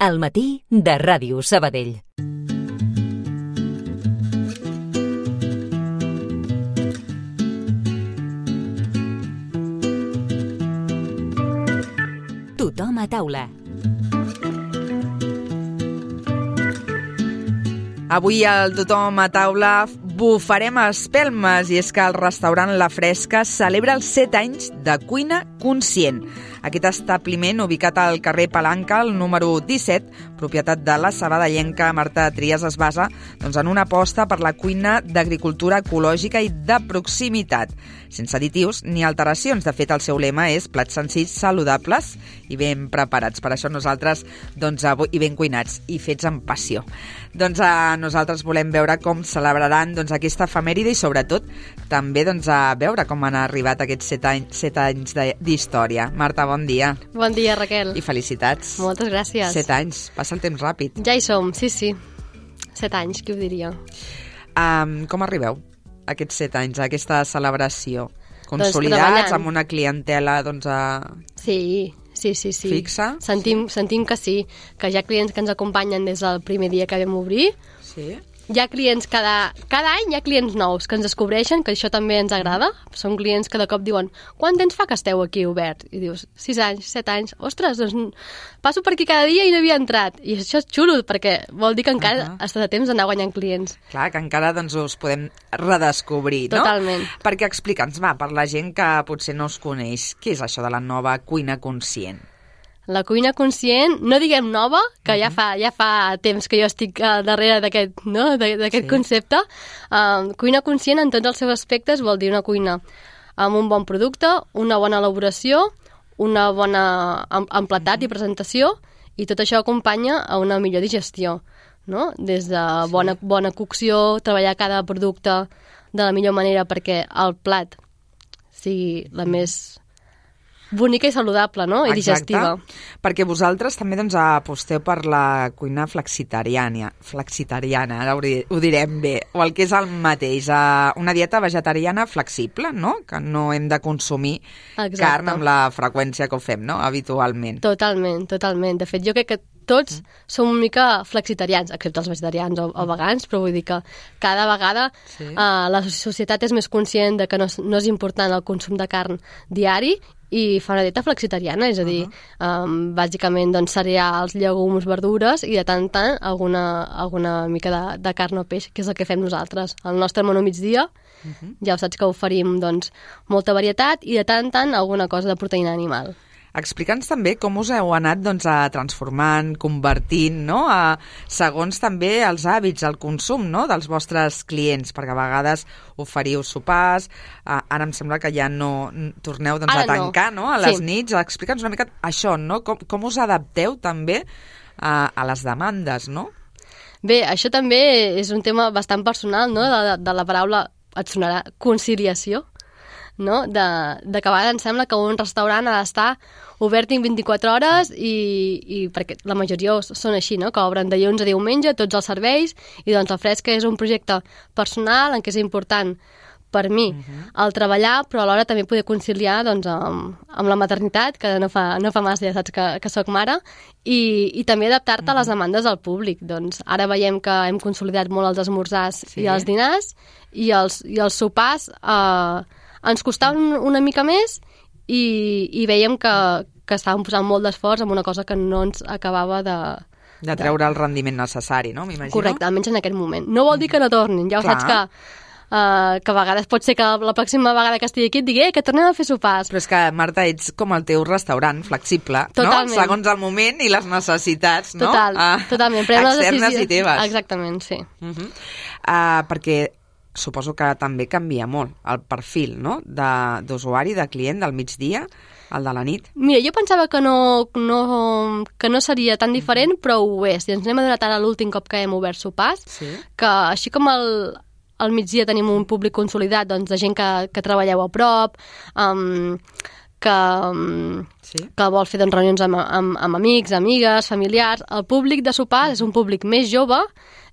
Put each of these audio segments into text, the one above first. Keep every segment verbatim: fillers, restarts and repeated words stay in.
Al matí de Ràdio Sabadell. Tothom a taula. Avui al Tothom a taula bufarem espelmes, i és que el restaurant La Fresca celebra els set anys de cuina conscient. Aquest establiment, ubicat al carrer Palanca, el número disset, propietat de la sabadellenca Marta Trias, es basa doncs, en una aposta per la cuina d'agricultura ecològica i de proximitat, sense additius ni alteracions. De fet, el seu lema és plats senzills, saludables i ben preparats. Per això nosaltres, doncs, avui, i ben cuinats i fets amb passió. Doncs a nosaltres volem veure com celebraran doncs, aquesta efemèride i, sobretot, també doncs, a veure com han arribat aquests set anys, set anys d'història. Marta, bon dia. Bon dia, Raquel. I felicitats. Moltes gràcies. Set anys. Passa el temps ràpid. Ja hi som, sí, sí. Set anys, qui ho diria? Um, com arribeu a aquests set anys, a aquesta celebració? Consolidats, doncs, amb una clientela doncs, a... Sí, sí, sí, sí. Fixa? Sentim, sí. sentim que sí, que hi ha clients que ens acompanyen des del primer dia que vam obrir. Sí. Hi ha clients, cada, cada any hi ha clients nous que ens descobreixen, que això també ens agrada. Són clients que de cop diuen, quant temps fa que esteu aquí obert? I dius, sis anys, set anys. Ostres, doncs passo per aquí cada dia i no havia entrat. I això és xulo, perquè vol dir que encara uh-huh. està de temps d'anar guanyant clients. Clar, que encara doncs, us podem redescobrir, no? Totalment. Perquè explica'ns, va, per la gent que potser no us coneix, què és això de la nova cuina conscient? La cuina conscient, no diguem nova, que uh-huh. ja, fa, ja fa temps que jo estic uh, darrere d'aquest no? d'aquest sí. concepte. Uh, cuina conscient en tots els seus aspectes vol dir una cuina amb un bon producte, una bona elaboració, una bona empletat uh-huh. i presentació, i tot això acompanya a una millor digestió, no? Des de bona, sí. bona cocció, treballar cada producte de la millor manera perquè el plat sigui la més bonica i saludable, no? I digestiva. Exacte, perquè vosaltres també doncs, aposteu per la cuina flexitariana, flexitariana, ara ho direm bé, o el que és el mateix, una dieta vegetariana flexible, no? Que no hem de consumir Exacte. Carn amb la freqüència que ho fem, no? Habitualment. Totalment, totalment. De fet, jo crec que tots mm. som una mica flexitarians, excepte els vegetarians o, o vegans, però vull dir que cada vegada sí. uh, la societat és més conscient de que no, no és important el consum de carn diari i fa una dieta flexitariana, és a dir, uh-huh. um, bàsicament doncs, cereals, llegums, verdures i de tant en tant alguna, alguna mica de, de carn o peix, que és el que fem nosaltres. El nostre menú migdia, uh-huh. ja ho saps que oferim doncs, molta varietat i de tant en tant alguna cosa de proteïna animal. Explica'ns també com us heu anat doncs, a transformant, convertint, no? a, segons també els hàbits, el consum no? dels vostres clients, perquè a vegades oferiu sopars, a, ara em sembla que ja no torneu doncs, a tancar no. No? a les sí. nits. Explica'ns una mica això, no? com, com us adapteu també a, a les demandes, no? Bé, això també és un tema bastant personal, no? de, de la paraula, et sonarà, conciliació, no? de, de que a vegades em sembla que un restaurant ha d'estar obert vint-i-quatre hores i, i perquè la majoria són així, no? Que obren de dilluns a diumenge tots els serveis i doncs La Fresca és un projecte personal en què és important per mi uh-huh. el treballar, però alhora també poder conciliar doncs, amb, amb la maternitat, que no fa, no fa massa, ja saps que, que soc mare, i, i també adaptar-te uh-huh. a les demandes del públic. Doncs ara veiem que hem consolidat molt els esmorzars sí. i els dinars i els, i els sopars eh, ens costaven una mica més i, i veiem que, que estàvem posant molt d'esforç en una cosa que no ens acabava de... De treure de... el rendiment necessari, no? M'imagino. Correcte, almenys en aquest moment. No vol dir que no tornin, ja ho Clar. saps que... Uh, que a vegades pot ser que la pròxima vegada que estigui aquí et digui eh, que tornem a fer sopars. Però és que, Marta, ets com el teu restaurant, flexible, totalment. No? Segons el moment i les necessitats, no? Total, uh, totalment. Prem externes decisió... i teves. Exactament, sí. Uh-huh. uh, perquè suposo que també canvia molt el perfil, no? d'usuari, de, de client del migdia, el de la nit. Mira, jo pensava que no, no, que no seria tan diferent, però ho és. I ens n'hem adonat ara l'últim cop que hem obert sopars, sí. que així com el... al migdia tenim un públic consolidat doncs, de gent que, que treballeu a prop, um, que, um, sí. que vol fer doncs, reunions amb, amb, amb amics, amigues, familiars. El públic de sopar és un públic més jove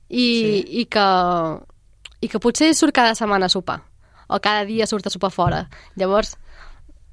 i, sí. i, que, i que potser surt cada setmana a sopar o cada dia surt a sopar fora. Llavors,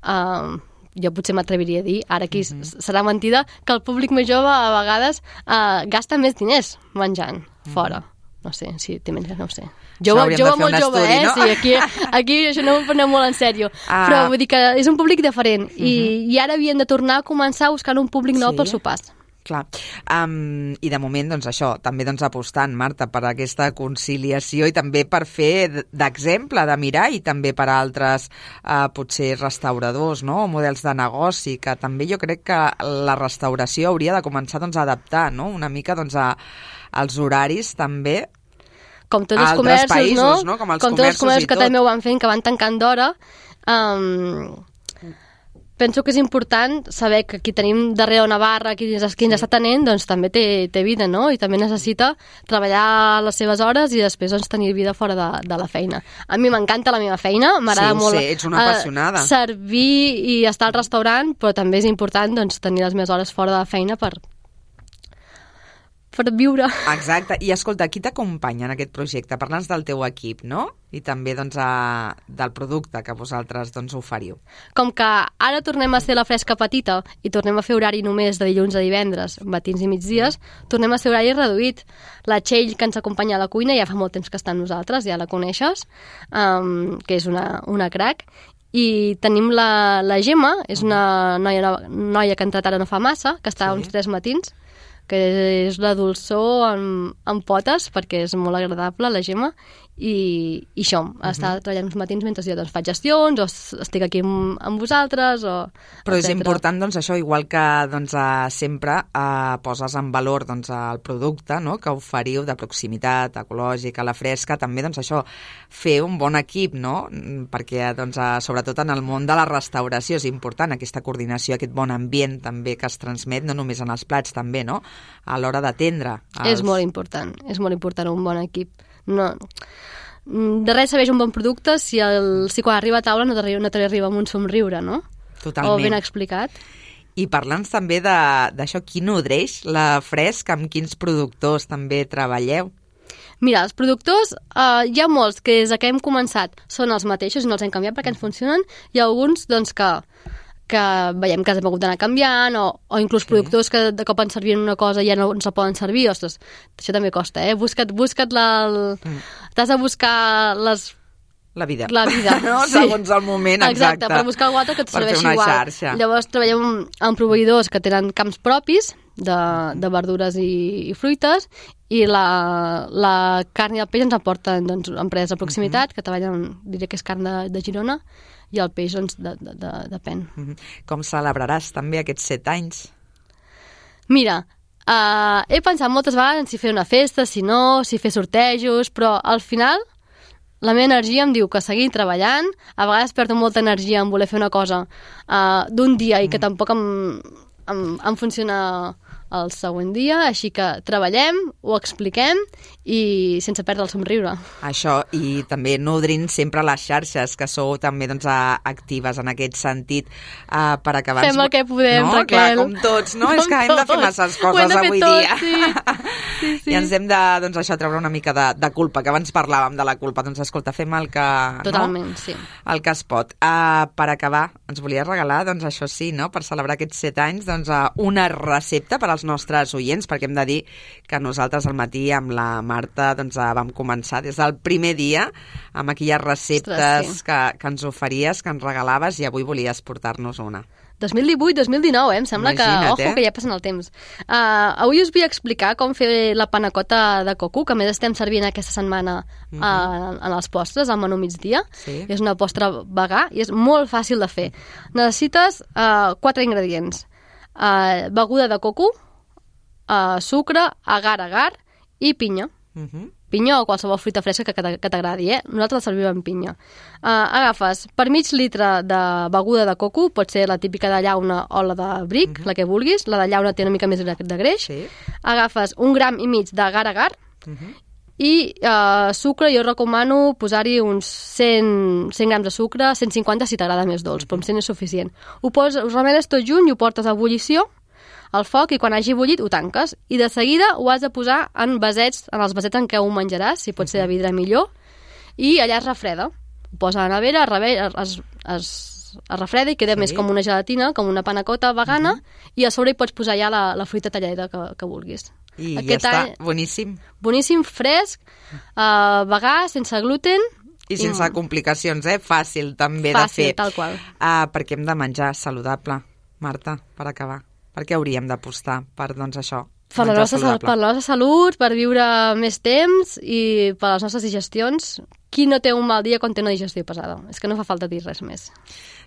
um, jo potser m'atreviria a dir, ara aquí uh-huh. serà mentida, que el públic més jove a vegades uh, gasta més diners menjant uh-huh. fora. No sé, si té menys, no ho sé. Jove, jove molt jove, estudi, eh? No? Sí, aquí, aquí això no ho prenem molt en sèrio. Ah. Però vull dir que és un públic diferent uh-huh. i, i ara havien de tornar a començar a buscar un públic nou sí. pels sopars. Clar. Um, I de moment, doncs això, també doncs, apostant, Marta, per aquesta conciliació i també per fer d'exemple, de mirar, i també per a altres, uh, potser restauradors, no?, o models de negoci, que també jo crec que la restauració hauria de començar doncs, a adaptar, no?, una mica doncs, a, als horaris també, com tots els comerços, països, no? no? Com els com tots els comerços que també ho van fent, que van tancant d'hora. Um, penso que és important saber que qui tenim darrere una barra, qui ens, qui ens està tenint, doncs també té, té vida, no? I també necessita treballar les seves hores i després doncs, tenir vida fora de, de la feina. A mi m'encanta la meva feina, m'agrada sí, molt sé, ets una apassionada. Uh, servir i estar al restaurant, però també és important doncs, tenir les meves hores fora de la feina per... per viure. Exacte. I escolta, qui t'acompanya en aquest projecte? Parla'ns del teu equip, no? I també doncs, a, del producte que vosaltres doncs, oferiu. Com que ara tornem a ser la fresca petita i tornem a fer horari només de dilluns a divendres, matins i migdies, tornem a ser horari reduït. La Txell, que ens acompanya a la cuina, ja fa molt temps que està amb nosaltres, ja la coneixes, um, que és una, una crac. I tenim la, la Gemma, és una noia, noia que ha entrat ara no fa massa, que està sí. uns tres matins, que és la dolçor amb, amb potes, perquè és molt agradable, la Gemma, i, i això, uh-huh. està treballant uns matins mentre jo doncs, faig gestions, o estic aquí amb, amb vosaltres, o... Però etcètera. És important, doncs, això, igual que doncs, uh, sempre uh, poses en valor doncs, el producte, no?, que oferiu de proximitat, ecològica, la fresca, també, doncs, això, fer un bon equip, no?, perquè, doncs, uh, sobretot en el món de la restauració és important aquesta coordinació, aquest bon ambient també que es transmet, no només en els plats, també, no?, a l'hora d'atendre. Els... És molt important, és molt important un bon equip. No, de res serveix un bon producte si, el, si quan arriba a taula no te, no te arriba amb un somriure, no? Totalment. O ben explicat. I parla'ns també d'això, qui nodreix la Fresc, amb quins productors també treballeu? Mira, els productors, eh, hi ha molts que des que hem començat són els mateixos i no els hem canviat perquè ens funcionen, i alguns doncs, que, que veiem que hem hagut d'anar canviant, o, o inclús sí. productors que de cop ens servien una cosa i ja no ens la poden servir. Ostres, això també costa, eh? Busca't, busca't la... El... Mm. T'has de buscar les... La vida. La vida, no? Sí. Segons el moment, exacte. Exacte, per buscar algú altre que et serveixi igual. Xarxa. Llavors treballem amb proveïdors que tenen camps propis de, de verdures i, i fruites, i la, la carn i el peix ens aporten doncs, empreses de proximitat, mm-hmm. que treballen, diré que és carn de, de Girona, i el peix, doncs, de, de, de, depèn. Mm-hmm. Com celebraràs també aquests set anys? Mira, uh, he pensat moltes vegades en si fer una festa, si no, si fer sortejos, però al final la meva energia em diu que seguir treballant, a vegades perdo molta energia en voler fer una cosa uh, d'un dia i que tampoc em, em, em funciona el següent dia, així que treballem, ho expliquem i sense perdre el somriure. Això, i també nodrint sempre les xarxes, que sou també doncs, actives en aquest sentit, uh, per acabar... Fem el que podem, no? Raquel. Clar, com tots, no? Com és que hem de fer masses coses avui tot, dia. Sí. Sí, sí. I ens hem de, doncs, això, treure una mica de, de culpa, que abans parlàvem de la culpa. Doncs, escolta, fem el que... Totalment, no? sí. El que es pot. Uh, per acabar, ens volia regalar, doncs, això sí, no? Per celebrar aquests set anys, doncs, uh, una recepta per als nostres oients, perquè hem de dir que nosaltres al matí amb la Marta doncs, vam començar des del primer dia amb aquelles receptes Ostres, sí. que, que ens oferies, que ens regalaves, i avui volies portar-nos una. dos mil divuit dos mil dinou, eh? Em sembla Imagina't, que, ojo, eh? que ja passen el temps. Uh, avui us vull explicar com fer la panacota de coco, que a més estem servint aquesta setmana uh, uh-huh. en els postres, al menú migdia. Sí. És una postre vegà i és molt fàcil de fer. Necessites uh, quatre ingredients. Uh, beguda de coco, uh, sucre, agar-agar i pinya. Uh-huh. Pinya o qualsevol fruita fresca que, que t'agradi, eh? Nosaltres la servim amb pinya. Uh, agafes per mig litre de beguda de coco, pot ser la típica de llauna o la de bric, uh-huh. la que vulguis. La de llauna té una mica més de greix. Sí. Agafes un gram i mig d'agar-agar uh-huh. i uh, sucre, jo recomano posar-hi uns cent, cent grams de sucre, cent cinquanta si t'agrada més dolç, uh-huh. però amb cent és suficient. Ho poses, ho remenes tot junt i ho portes a ebullició al foc, i quan hagi bullit ho tanques, i de seguida ho has de posar en vasets, en els vasets en què ho menjaràs, si pot ser de vidre millor, i allà es refreda. Ho posa a la nevera, es, es, es refreda i queda Sí. més com una gelatina, com una panacota vegana, i a sobre hi pots posar ja la, la fruita tallada que, que vulguis. I Aquest ja està, any- boníssim. Boníssim, fresc, uh, vegà, sense gluten. I sense complicacions, eh? Fàcil també Fàcil, de fer. tal qual. Uh, perquè hem de menjar saludable, Marta, per acabar. Per què hauríem d'apostar per, doncs, això? Per la, menjar nostra, sal- per la nostra salut, per viure més temps i per les nostres digestions. Qui no té un mal dia quan té una digestió pesada? És que no fa falta dir res més.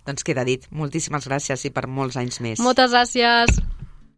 Doncs queda dit. Moltíssimes gràcies i per molts anys més. Moltes gràcies.